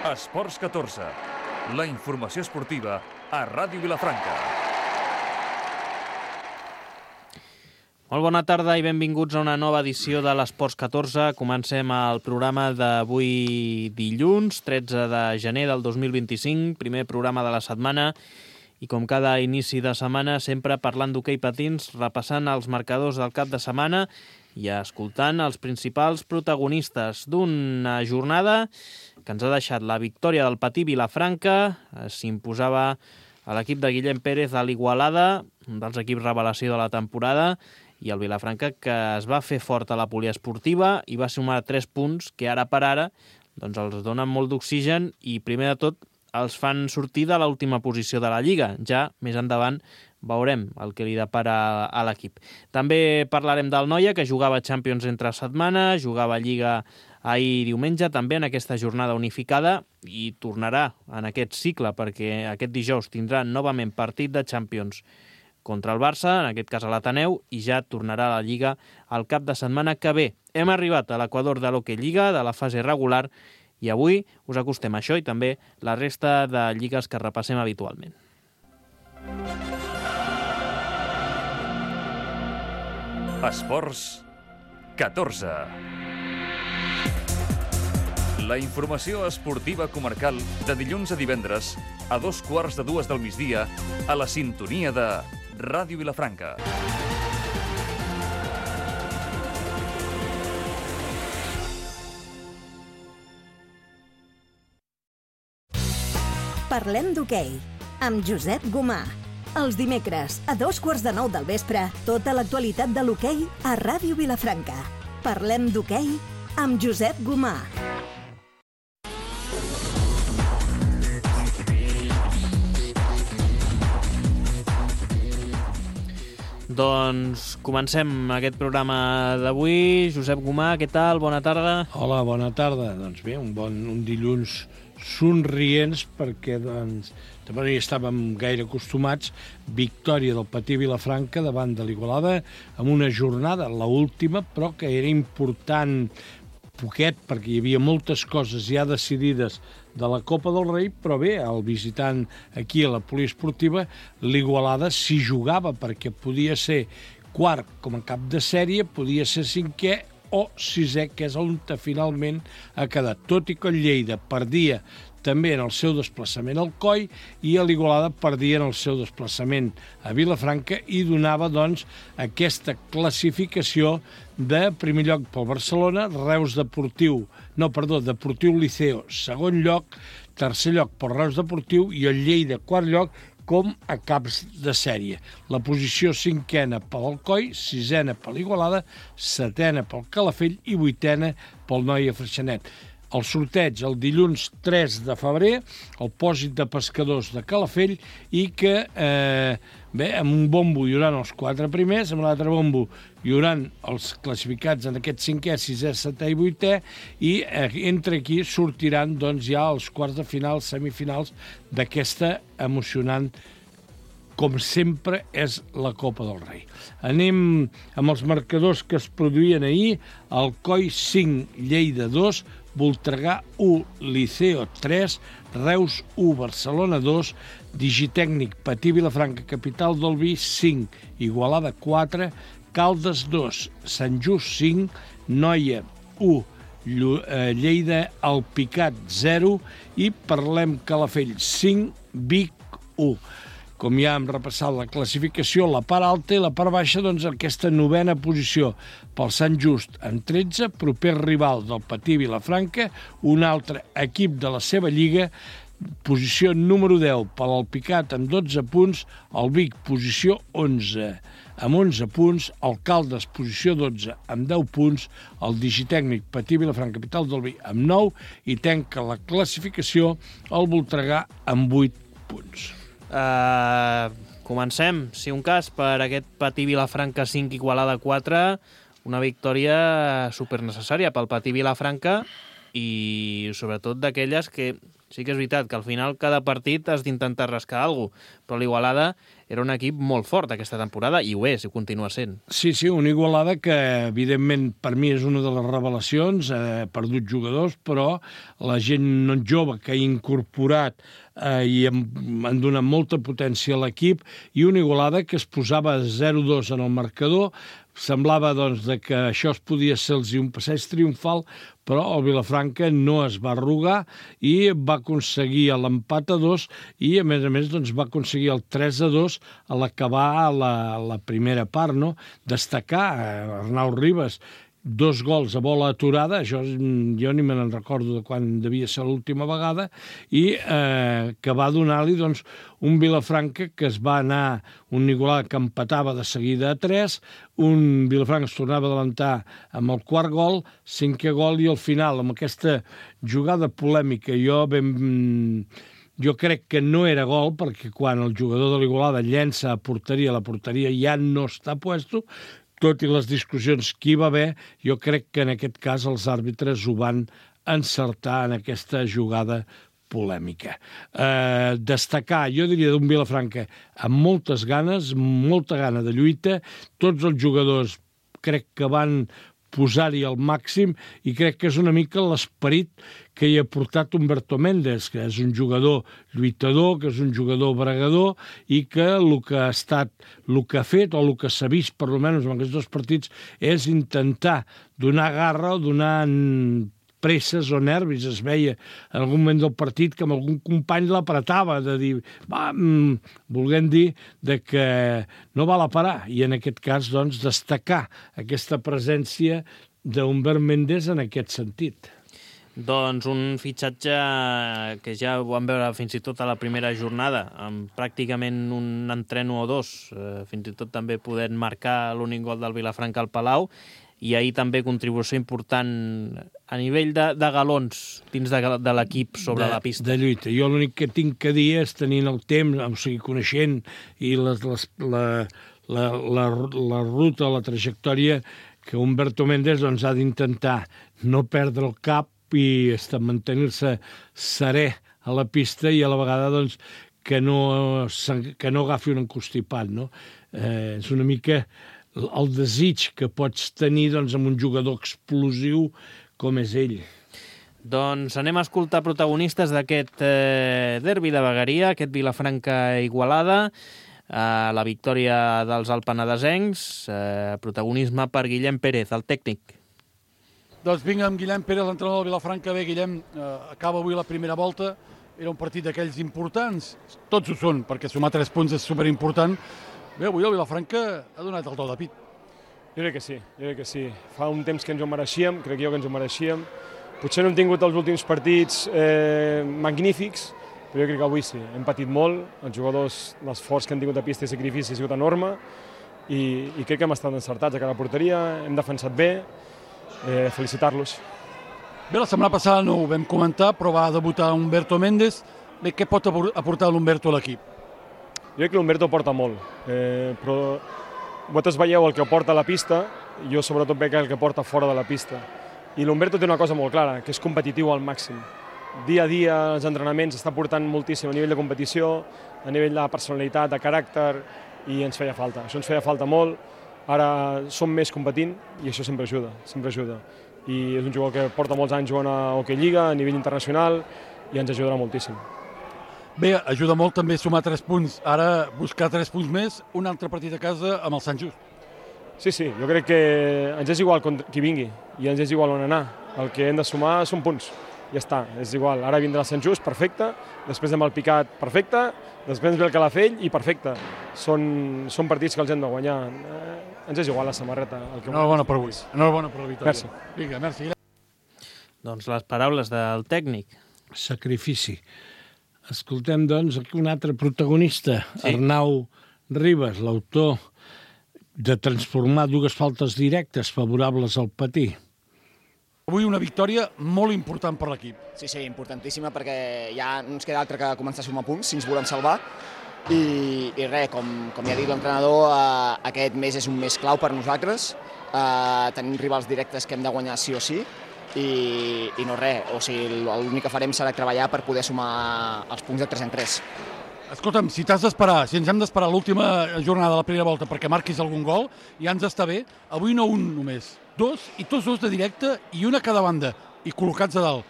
Esports 14, la informació esportiva a Ràdio Vilafranca. Molt bona tarda i benvinguts a una nova edició de l'Esports 14. Comencem el programa d'avui dilluns, 13 de gener del 2025, primer programa de la setmana, i com cada inici de setmana, sempre parlant d'hoquei patins, repassant els marcadors del cap de setmana i escoltant els principals protagonistes d'una jornada que ens ha deixat la victòria del Patí Vilafranca. S'imposava a l'equip de Guillem Pérez a l'Igualada, un dels equips revelació de la temporada, i el Vilafranca que es va fer fort a la poliesportiva i va sumar 3 punts que ara per ara doncs els donen molt d'oxigen i primer de tot els fan sortir de l'última posició de la Lliga. Ja més endavant veurem el que li depara a l'equip. També parlarem del Noia, que jugava Champions entre setmana, jugava Lliga ahir diumenge, també en aquesta jornada unificada, i tornarà en aquest cicle, perquè aquest dijous tindrà novament partit de Champions contra el Barça, en aquest cas a l'Ateneu, i ja tornarà a la Lliga el cap de setmana que ve. Hem arribat a l'equador de l'Hockey Lliga, de la fase regular, i avui us acostem a això i també la resta de lligues que repassem habitualment. Esports 14. La informació esportiva comarcal de dilluns a divendres a 2:15 del migdia a la sintonia de Ràdio Vilafranca. Parlem d'hoquei, amb Josep Gomà. Els dimecres, a 8:15 del vespre, tota l'actualitat de l'hoquei a Ràdio Vilafranca. Parlem d'hoquei amb Josep Gomà. Doncs comencem aquest programa d'avui. Josep Gomà, què tal? Bona tarda. Hola, bona tarda. Doncs bé, un dilluns somrients perquè també no hi estàvem gaire acostumats. Victòria del Patí Vilafranca davant de l'Igualada amb una jornada, l'última, però que era important poquet perquè hi havia moltes coses ja decidides de la Copa del Rei, però bé, el visitant aquí a la poliesportiva, l'Igualada s'hi jugava perquè podia ser quart com a cap de sèrie, podia ser cinquè o sisè, que és on finalment ha quedat. Tot i que el Lleida perdia també en el seu desplaçament al Coi i a l'Igualada perdia en el seu desplaçament a Vilafranca i donava, doncs, aquesta classificació de primer lloc pel Barcelona, Deportiu Liceo, segon lloc, tercer lloc pel Reus Deportiu i el Lleida, quart lloc, com a caps de sèrie. La posició cinquena pel Alcoi, sisena per l'Igualada, setena pel Calafell i vuitena pel Noia Freixenet. El sorteig el dilluns 3 de febrer, el pòsit de pescadors de Calafell i que, amb un bombo hi haurà els 4 primers, amb l'altre bombo hi haurà els classificats en aquest 5è, 6è, 7è i 8è i entre aquí sortiran doncs, ja els quarts de final, semifinals d'aquesta emocionant, com sempre, és la Copa del Rei. Anem amb els marcadors que es produïen ahir. Alcoi 5, Lleida 2, Voltregà 1, Liceo 3, Reus 1, Barcelona 2, Digitècnic Patí Vilafranca, Capital del Vi 5, Igualada 4, Caldes 2, Sant Just 5, Noia 1, Lleida Alpicat 0 i Parlem Calafell 5, Vic 1. Com ja hem repassat la classificació, la part alta i la part baixa, doncs aquesta novena posició pel Sant Just en 13, proper rival del Patí Vilafranca, un altre equip de la seva lliga, posició número 10 per l'Alpicat amb 12 punts, el Vic posició 11 amb 11 punts, el Caldes posició 12 amb 10 punts, el Digitècnic Patí Vilafranca, Capital del Vi amb 9 i tanca la classificació el Voltregà amb 8 punts. Comencem, si un cas, per aquest Patí Vilafranca 5, Igualada 4, una victòria supernecessària pel Patí Vilafranca i sobretot d'aquelles que Sí que és veritat que al final cada partit has d'intentar rascar alguna cosa, però l'Igualada era un equip molt fort aquesta temporada i ho és, i ho continua sent. Sí, una Igualada que, evidentment, per mi és una de les revelacions, ha perdut jugadors, però la gent jove que ha incorporat i han donat molta potència a l'equip, i una Igualada que es posava 0-2 en el marcador. Semblava que això es podia ser un passeig triomfal, però el Vilafranca no es va arrugar i va aconseguir l'empat a 2 i, a més, va aconseguir el 3-2 a l'acabar la primera part, no? Destacar Arnau Ribas, 2 gols a bola aturada, això jo ni me'n recordo de quan devia ser l'última vegada, i que va donar-li un Vilafranca que es va anar, un Igualada que empatava de seguida a 3, un Vilafranca es tornava a adelantar amb el quart gol, 5è gol, i al final, amb aquesta jugada polèmica, jo crec que no era gol, perquè quan el jugador de l'Igualada llença a porteria, la porteria ja no està puesto, tot i les discussions que hi va haver, jo crec que en aquest cas els àrbitres ho van encertar en aquesta jugada polèmica. Destacar, jo diria, d'un Vilafranca amb moltes ganes, molta gana de lluita, tots els jugadors crec que van posar-hi al màxim, i crec que és una mica l'esperit que hi ha portat Humberto Méndez, que és un jugador lluitador, que és un jugador bregador, i que el que ha fet, o el que s'ha vist, per almenys en aquests 2 partits, és intentar donar garra o donar presses o nervis. Es veia en algun moment del partit que amb algun company l'apretava, de dir, volguem dir que no val a parar, i en aquest cas, destacar aquesta presència d'Humbert Méndez en aquest sentit. Doncs un fitxatge que ja ho vam veure fins i tot a la primera jornada, amb pràcticament un entreno o 2, fins i tot també podent marcar l'únic gol del Vilafranca al Palau, i ahir també contribució important a nivell de galons dins de l'equip sobre la pista. De lluita. Jo l'únic que tinc que dir és, tenint el temps, o sigui, coneixent i la ruta, la trajectòria, que Humberto Méndez ha d'intentar no perdre el cap i mantenir-se serè a la pista, i a la vegada que no agafi un encostipat, no? És una mica el desig que pots tenir amb un jugador explosiu com és ell. Doncs anem a escoltar protagonistes d'aquest derbi de vegueria, aquest Vilafranca-Igualada, la victòria dels alpenadesencs, protagonisme per Guillem Pérez, el tècnic. Doncs vinga amb Guillem Pérez, l'entrenador del Vilafranca. Bé, Guillem, acaba avui la primera volta, era un partit d'aquells importants, tots ho són, perquè sumar 3 punts és superimportant. Bé, avui el Vilafranca ha donat el do de pit. Jo crec que sí. Fa un temps que ens ho mereixíem, crec jo que ens ho mereixíem. Potser no hem tingut els últims partits magnífics, però jo crec que avui sí. Hem patit molt, els jugadors, l'esforç que han tingut a pista i sacrifici ha sigut enorme, i crec que hem estat encertats a cada porteria, hem defensat bé, felicitar-los. Bé, la setmana passada no ho vam comentar, però va debutar Humberto Méndez. Bé, què pot aportar l'Humberto a l'equip? Jo crec que l'Humberto porta molt, però vosaltres veieu el que porta a la pista, i jo sobretot veig el que porta fora de la pista. I l'Humberto té una cosa molt clara, que és competitiu al màxim. Dia a dia, els entrenaments, està portant moltíssim a nivell de competició, a nivell de personalitat, de caràcter, i ens feia falta. Això ens feia falta molt. Ara som més competint i això sempre ajuda, sempre ajuda. I és un jugador que porta molts anys jugant a Hockey Lliga, a nivell internacional, i ens ajudarà moltíssim. Bé, ajuda molt també sumar 3 punts. Ara buscar 3 punts més, un altre partit a casa amb el Sant Just. Sí, jo crec que ens és igual qui vingui i ens és igual on anar. El que hem de sumar són punts. Ja està, és igual. Ara vindrà el Sant Just, perfecte. Després del Picat, perfecte. Després ve el Calafell i perfecte. Són partits que els hem de guanyar. Ens és igual la samarreta. Enhorabona per avui. Enhorabona per la victòria. Merci. Vinga, merci. Doncs les paraules del tècnic. Sacrifici. Escoltem, doncs, aquí un altre protagonista, sí. Arnau Ribas, l'autor de transformar 2 faltes directes favorables al Patí. Avui una victòria molt important per l'equip. Sí, importantíssima, perquè ja no ens queda altre que començar a sumar punts si ens volem salvar. I res, com ja ha dit l'entrenador, aquest mes és un mes clau per nosaltres. Tenim rivals directes que hem de guanyar sí o sí. i no res, o sigui, l'únic que farem serà treballar per poder sumar els punts de 3 en 3. Escolta'm, si ens hem d'esperar l'última jornada de la primera volta perquè marquis algun gol, ja ens està bé. Avui no un només, 2, i tots 2 de directe i una a cada banda, i col·locats a dalt.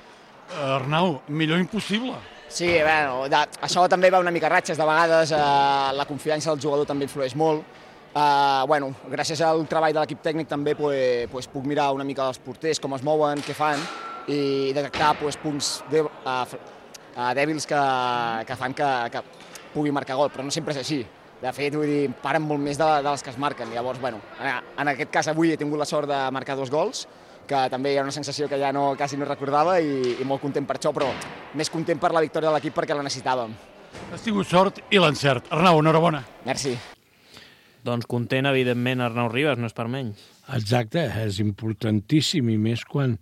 Arnau, millor impossible. Sí, bueno, això també va una mica ratxes, de vegades la confiança del jugador també influeix molt. Bueno, gràcies al treball de l'equip tècnic també puc mirar una mica els porters, com es mouen, què fan, i detectar punts dèbils que fan que pugui marcar gol, però no sempre és així. De fet, vull dir, paren molt més de les que es marquen. Llavors, bueno, en aquest cas avui he tingut la sort de marcar 2 gols, que també hi ha una sensació que ja quasi no recordava i molt content per això, però més content per la victòria de l'equip perquè la necessitàvem. Has tingut sort i l'encert. Arnau, enhorabona. Merci. Doncs content, evidentment, Arnau Ribas, no és per menys. Exacte, és importantíssim, i més quan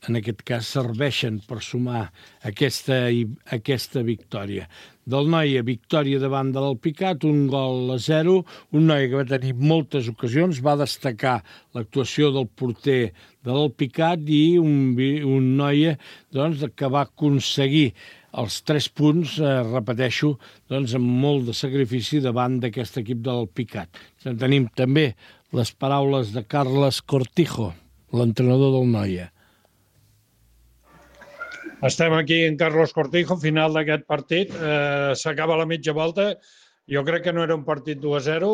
en aquest cas serveixen per sumar aquesta victòria. Del Noia, victòria davant de l'Alpicat, 1-0, un Noia que va tenir moltes ocasions, va destacar l'actuació del porter de l'Alpicat i un Noia que va aconseguir els 3 punts, repeteixo, amb molt de sacrifici davant d'aquest equip de l'Alpicat. Tenim també les paraules de Carles Cortijo, l'entrenador del Noia. Estem aquí en Carlos Cortijo, final d'aquest partit. S'acaba la mitja volta. Jo crec que no era un partit 2-0.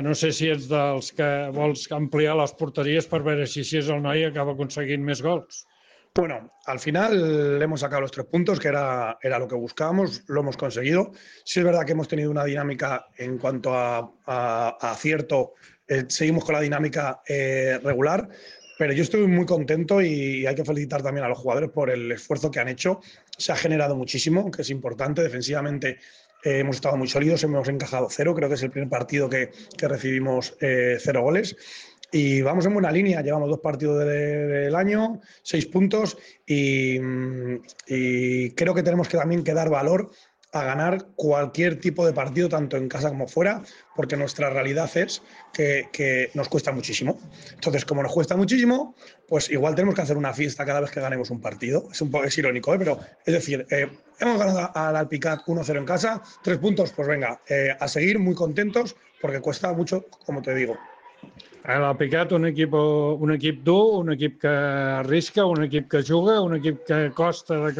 No sé si ets dels que vols ampliar les porteries per veure si és el Noia que acaba aconseguint més gols. Bueno, al final hemos sacado los 3 puntos, que era lo que buscábamos, lo hemos conseguido. Sí es verdad que hemos tenido una dinámica en cuanto a acierto, seguimos con la dinámica regular, pero yo estoy muy contento y hay que felicitar también a los jugadores por el esfuerzo que han hecho. Se ha generado muchísimo, que es importante. Defensivamente hemos estado muy sólidos, hemos encajado 0, creo que es el primer partido que recibimos 0 goles. Y vamos en buena línea, llevamos 2 partidos del año, 6 puntos y creo que tenemos que también dar valor a ganar cualquier tipo de partido, tanto en casa como fuera, porque nuestra realidad es que nos cuesta muchísimo. Entonces, como nos cuesta muchísimo, pues igual tenemos que hacer una fiesta cada vez que ganemos un partido. Es irónico, pero es decir, hemos ganado al Alpicat 1-0 en casa, 3 puntos, pues venga, a seguir muy contentos, porque cuesta mucho, como te digo. L'Alpicat, un equip dur, un equip que arrisca, un equip que juga, un equip que costa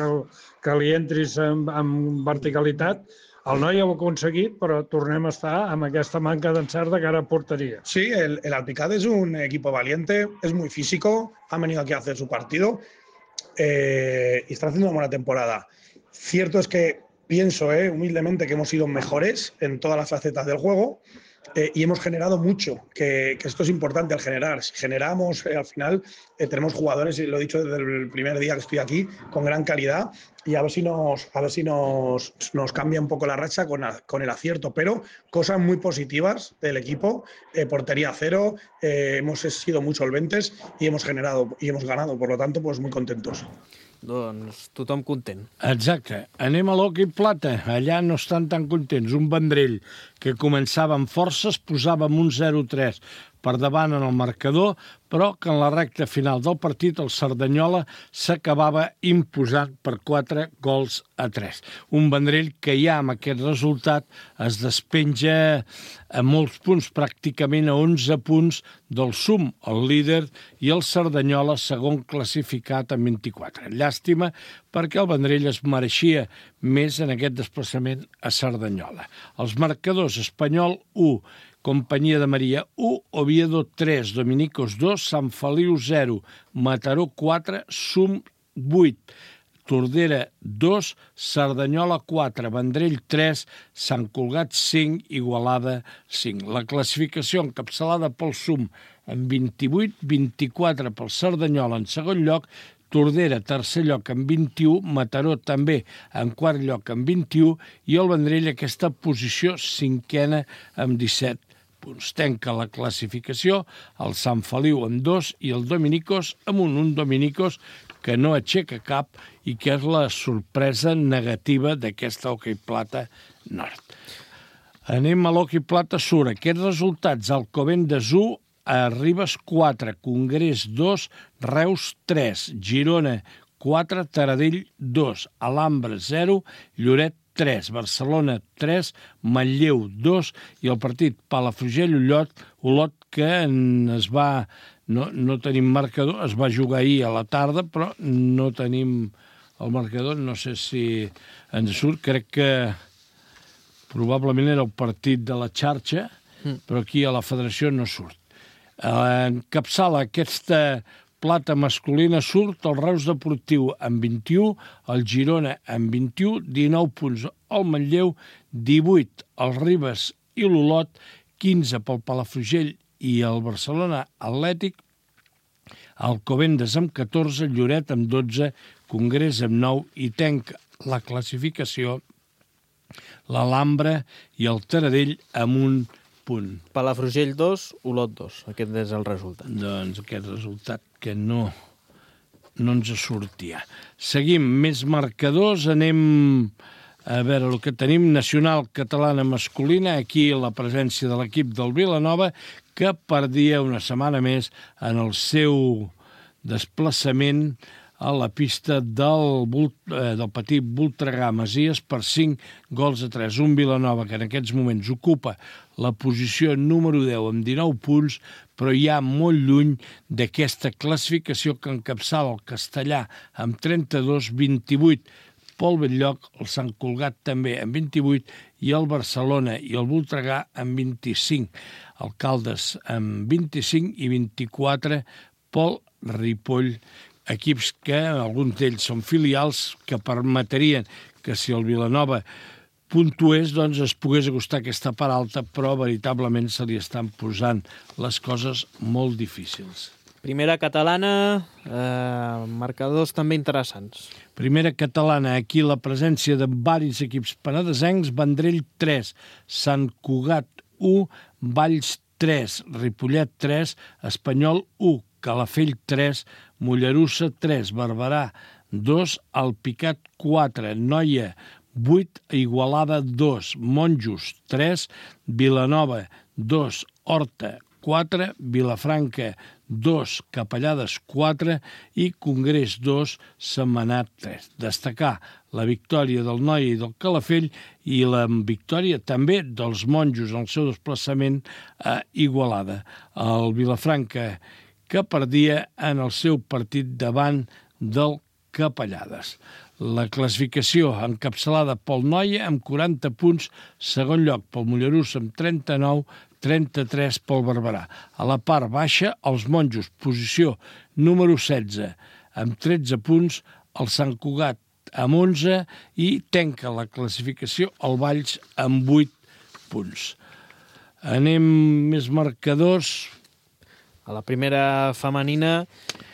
que li entris amb verticalitat. El Noia ho ha aconseguit, però tornem a estar amb aquesta manca d'encert de cara a porteria. Sí, el Alpicat es un equipo valiente, es muy físico, ha venido aquí a hacer su partido y está haciendo una buena temporada. Cierto es que pienso humildemente que hemos sido mejores en todas las facetas del juego. Y hemos generado mucho, que esto es importante al generar. Si generamos, al final tenemos jugadores, y lo he dicho desde el primer día que estoy aquí, con gran calidad, y a ver si nos cambia un poco la racha con el acierto, pero cosas muy positivas del equipo, portería 0, hemos sido muy solventes y hemos generado y hemos ganado, por lo tanto, pues muy contentos. Doncs tothom content. Exacte. Anem a l'Hoquei Plata. Allà no estan tan contents. Un Vendrell que començava amb forces, posava amb un 0-3 per davant en el marcador, però que en la recta final del partit el Cerdanyola s'acabava imposant per 4-3. Un Vendrell que ja amb aquest resultat es despenja a molts punts, pràcticament a 11 punts del SUM, el líder, i el Cerdanyola segon classificat amb 24. Llàstima perquè el Vendrell es mereixia més en aquest desplaçament a Cerdanyola. Els marcadors: Espanyol 1, Companyia de Maria 1, Oviedo 3, Dominicos 2, Sant Feliu 0, Mataró 4, SUM 8, Tordera 2, Cerdanyola 4, Vendrell 3, Sant Cugat 5, Igualada 5. La classificació encapçalada pel SUM amb 28, 24 pel Cerdanyola en segon lloc, Tordera, tercer lloc amb 21, Mataró també en quart lloc amb 21 i el Vendrell aquesta posició cinquena amb 17 punts. Tanca la classificació el Sant Feliu amb 2 i el Dominicos amb un Dominicos que no aixeca cap i que és la sorpresa negativa d'aquesta Hoquei Plata Nord. Anem a l'Hoquei Plata Sur. Aquests resultats: Alcobendas 1, Ribes 4, Congrés 2, Reus 3, Girona 4, Taradell 2, Alhambra 0, Lloret 3, Barcelona 3, Manlleu 2 i el partit Palafrugell-Olot que es va... No tenim marcador, es va jugar ahir a la tarda, però no tenim el marcador, no sé si ens surt, crec que probablement era el partit de la xarxa, però aquí a la federació no surt. Encapçala aquesta plata masculina surt el Reus Deportiu amb 21, el Girona amb 21, 19 punts el Manlleu, 18 el Ribes i l'Olot, 15 pel Palafrugell i el Barcelona Atlètic, Alcobendas amb 14, Lloret amb 12, Congrés amb 9 i tanca la classificació l'Alhambra i el Taradell amb 1 punt. Palafrugell 2, Olot 2. Aquest és el resultat. Doncs aquest resultat que no ens sortia. Seguim, més marcadors, anem a veure el que tenim. Nacional catalana masculina, aquí la presència de l'equip del Vilanova, que perdia una setmana més en el seu desplaçament a la pista del petit Voltregà Masies per 5-3. Un Vilanova que en aquests moments ocupa la posició número 10 amb 19 punts, però ja molt lluny d'aquesta classificació que encapçala el Castellà amb 32, 28 Pol Belllloc, el Sant Cugat també amb 28 i el Barcelona i el Voltregà amb 25. El Caldes amb 25 i 24 Pol Ripoll, equips que alguns d'ells són filials que permetrien que si el Vilanova puntués doncs es pogués acostar aquesta part alta, però veritablement se li estan posant les coses molt difícils. Primera catalana, marcadors també interessants. Primera catalana, aquí la presència de varis equips penedesencs, Vendrell 3, Sant Cugat 1, Valls 3, Ripollet 3, Espanyol 1, Calafell 3, Mollerussa 3, Barberà 2, Alpicat 4, Noia 8, Igualada 2, Monjos 3, Vilanova 2, Horta 4, Vilafranca 2, Capellades 4 i Congrés 2, Sentmenat 3. Destacar la victòria del Noia i del Calafell i la victòria també dels Monjos en el seu desplaçament a Igualada. El Vilafranca que perdia en el seu partit davant del Capellades. La classificació encapçalada pel Noia amb 40 punts, segon lloc pel Mollerussa amb 39, 33 pel Barberà. A la part baixa, els Monjos, posició número 16, amb 13 punts, el Sant Cugat amb 11 i tanca la classificació el Valls amb 8 punts. Anem més marcadors. A la primera femenina,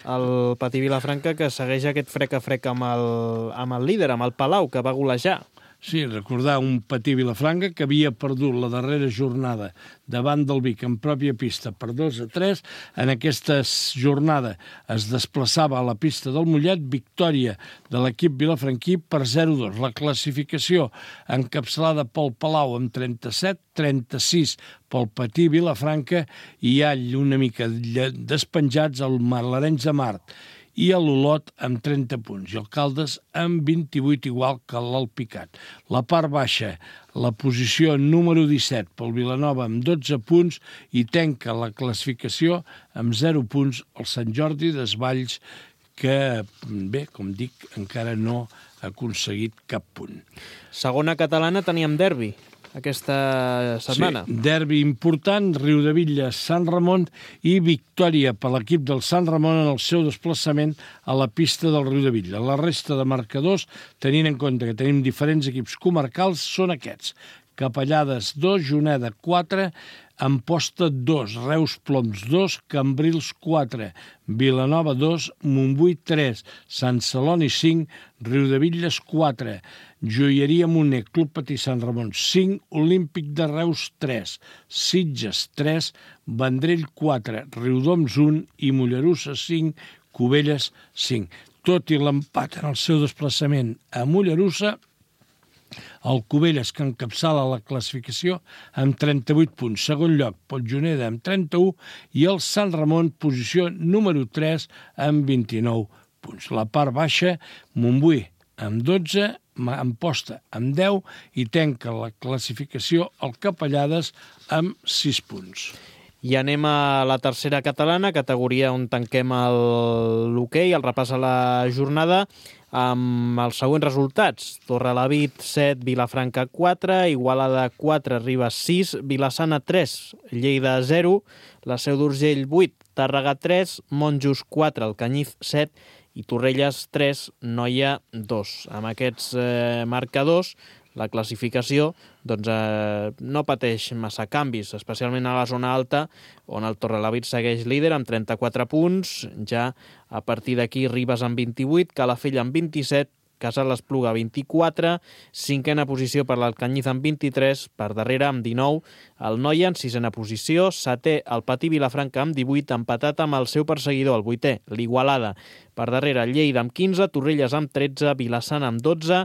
el Patí Vilafranca, que segueix aquest frec-a-frec amb el líder, amb el Palau, que va golejar. Sí, recordar un Patí Vilafranca que havia perdut la darrera jornada davant del Vic en pròpia pista per 2-3. En aquesta jornada es desplaçava a la pista del Mollet, victòria de l'equip vilafranquí per 0-2. La classificació encapçalada pel Palau amb 37, 36 pel Patí Vilafranca i hi ha una mica despenjats el Marlarenys de Mart i a l'Olot amb 30 punts, i el Caldes amb 28, igual que l'Alpicat. La part baixa, la posició número 17 pel Vilanova amb 12 punts i tanca la classificació amb 0 punts el Sant Jordi Desvalls, que, bé, com dic, encara no ha aconseguit cap punt. Segona catalana teníem derbi aquesta setmana. Sí, derbi important, Riudevilla, Sant Ramon i victòria per l'equip del Sant Ramon en el seu desplaçament a la pista del Riudevilla. La resta de marcadors, tenint en compte que tenim diferents equips comarcals, són aquests. Capellades 2, Juneda 4, Amposta 2, Reus Ploms 2, Cambrils 4, Vilanova 2, Montbui 3, Sant Celoni 5, Riudevilles 4, Joieria Moner, Club Patí Sant Ramon 5, Olímpic de Reus 3, Sitges 3, Vendrell 4, Riudoms 1 i Mollerussa 5, Cubelles 5. Tot i l'empat en el seu desplaçament a Mollerussa, El Cubelles, que encapçala la classificació amb 38 punts. Segon lloc, Pontjoneda amb 31 i el Sant Ramon, posició número 3 amb 29 punts. La part baixa, Montbui amb 12, Amposta amb 10 i tanca la classificació el Capellades amb 6 punts. I anem a la tercera catalana, categoria on tanquem l'hoquei, el repàs a la jornada, amb els següents resultats. Torrelavit 7, Vilafranca 4, Igualada 4, Ribes 6, Vilassana 3, Lleida 0, la Seu d'Urgell 8, Tàrrega 3, Monjos 4, Alcanyís 7 i Torrelles 3, Noia 2. Amb aquests marcadors, la classificació no pateix massa canvis, especialment a la zona alta, on el Torrelavit segueix líder amb 34 punts. Ja a partir d'aquí, Ribes amb 28, Calafell amb 27, Casal Espluga 24, cinquena posició per l'Alcanyís amb 23, per darrere amb 19, el Noia en sisena posició, setè el Patí Vilafranca amb 18, empatat amb el seu perseguidor, el vuitè, l'Igualada. Per darrere, Lleida amb 15, Torrelles amb 13, Vilassana amb 12,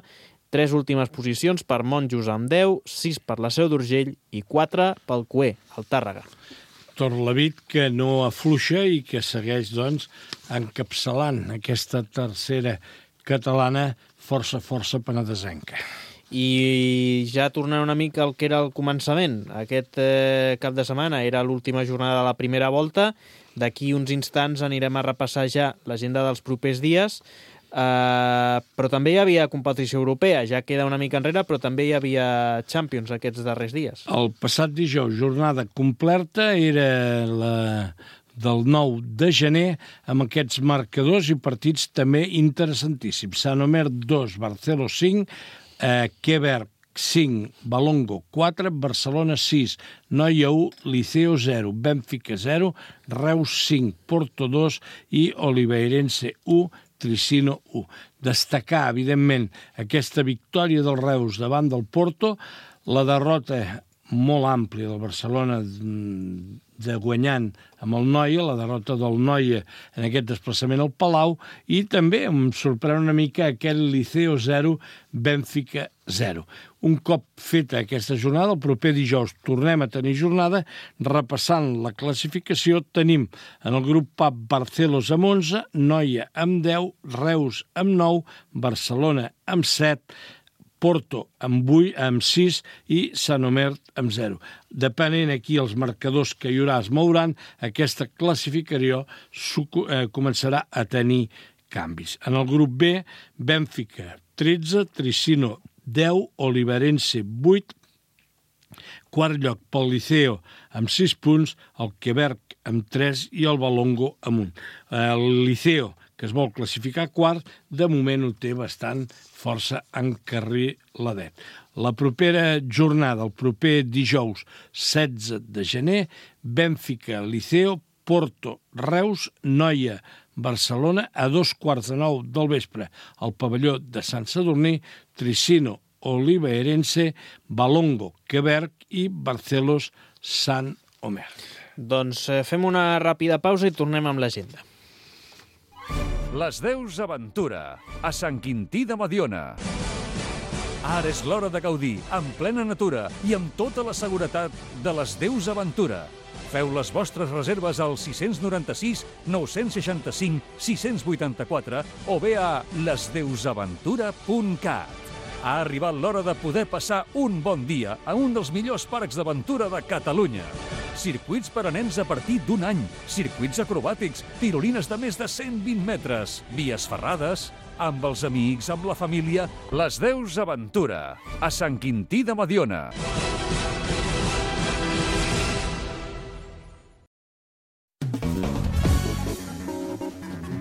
tres últimes posicions per Monjos amb 10, 6 per la Seu d'Urgell i 4 pel Cué, el Tàrrega. Torrelavit que no afluixa i que segueix, doncs, encapçalant aquesta tercera catalana força penedesenca. I ja tornant una mica al que era el començament, aquest cap de setmana era l'última jornada de la primera volta. D'aquí uns instants anirem a repassar ja l'agenda dels propers dies, però també hi havia competició europea, ja queda una mica enrere, però també hi havia Champions aquests darrers dies. El passat dijous, jornada completa, era la del 9 de gener, amb aquests marcadors i partits també interessantíssims. Sant Omer 2, Barceló 5, Quebec 5, Balongo 4, Barcelona 6, Noia 1, Liceo 0, Bènfica 0, Reus 5, Porto 2 i Oliveirense 1, Tricino 1. Destacar, evidentment, aquesta victòria del Reus davant del Porto, la derrota molt àmplia del Barcelona de guanyant amb el Noia, la derrota del Noia en aquest desplaçament al Palau, i també em sorprèn una mica aquest Liceo 0, Bènfica 0. Un cop feta aquesta jornada, el proper dijous tornem a tenir jornada, repassant la classificació, tenim en el grup A Barcelos amb 11, Noia amb 10, Reus amb 9, Barcelona amb 7, Porto amb 6 i Sant Omer amb 0. Depenent aquí els marcadors que hi haurà es mouran, aquesta classificació començarà a tenir canvis. En el grup B, Bènfica 13, Tricino 10, Oliveirense 8, quart lloc pel Liceo amb 6 punts, el Quebec amb 3 i el Balongo amb 1. El Liceo, que es vol classificar quart, de moment ho té bastant força encarriladet. La propera jornada, el proper dijous 16 de gener, Bènfica, Liceo, Porto, Reus, Noia, Barcelona, a 2:15 del vespre, al pavelló de Sant Sadurní, Tricino, Oliveirense, Balongo, Quebec i Barcelos, Sant Omer. Doncs fem una ràpida pausa i tornem amb l'agenda. Les Deus Aventura, a Sant Quintí de Mediona. Ara és l'hora de gaudir, en plena natura i amb tota la seguretat de les Deus Aventura. Feu les vostres reserves al 696 965 684 o bé a lesdeusaventura.cat. Ha arribat l'hora de poder passar un bon dia a un dels millors parcs d'aventura de Catalunya. Circuits per a nens a partir d'un any, circuits acrobàtics, tirolines de més de 120 metres, vies ferrades, amb els amics, amb la família. Les Deus Aventura, a Sant Quintí de Mediona.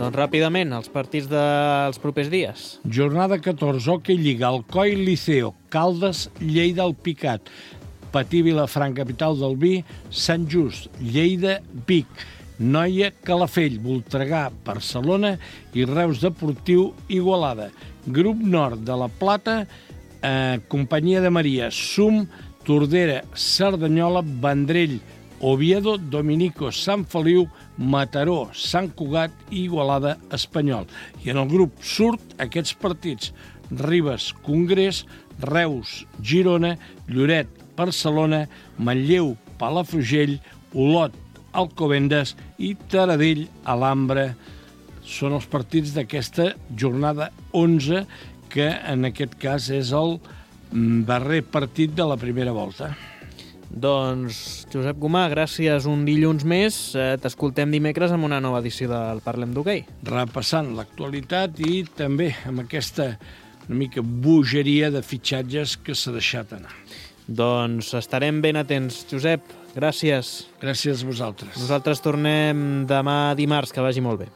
Doncs ràpidament, els partits dels propers dies. Jornada 14, Hockey Lliga, Alcoi, Liceo, Caldes, Lleida, el Picat, Patí, Vilafranca, capital del vi, Sant Just, Lleida, Vic, Noia, Calafell, Voltregà, Barcelona i Reus Deportiu, Igualada. Grup Nord de la Plata, Companyia de Maria, Sum, Tordera, Cerdanyola, Vendrell, Oviedo, Dominico, Sant Feliu, Mataró, Sant Cugat i Igualada, Espanyol. I en el grup Surt, aquests partits: Ribes, Congrés, Reus, Girona, Lloret, Barcelona, Manlleu, Palafrugell, Olot, Alcobendas i Taradell, Alhambra. Són els partits d'aquesta jornada 11, que en aquest cas és el darrer partit de la primera volta. Doncs, Josep Gomà, gràcies un dilluns més. T'escoltem dimecres amb una nova edició del Parlem d'Hoquei. Repassant l'actualitat i també amb aquesta una mica bogeria de fitxatges que s'ha deixat anar. Doncs estarem ben atents. Josep, gràcies. Gràcies a vosaltres. Nosaltres tornem demà dimarts, que vagi molt bé.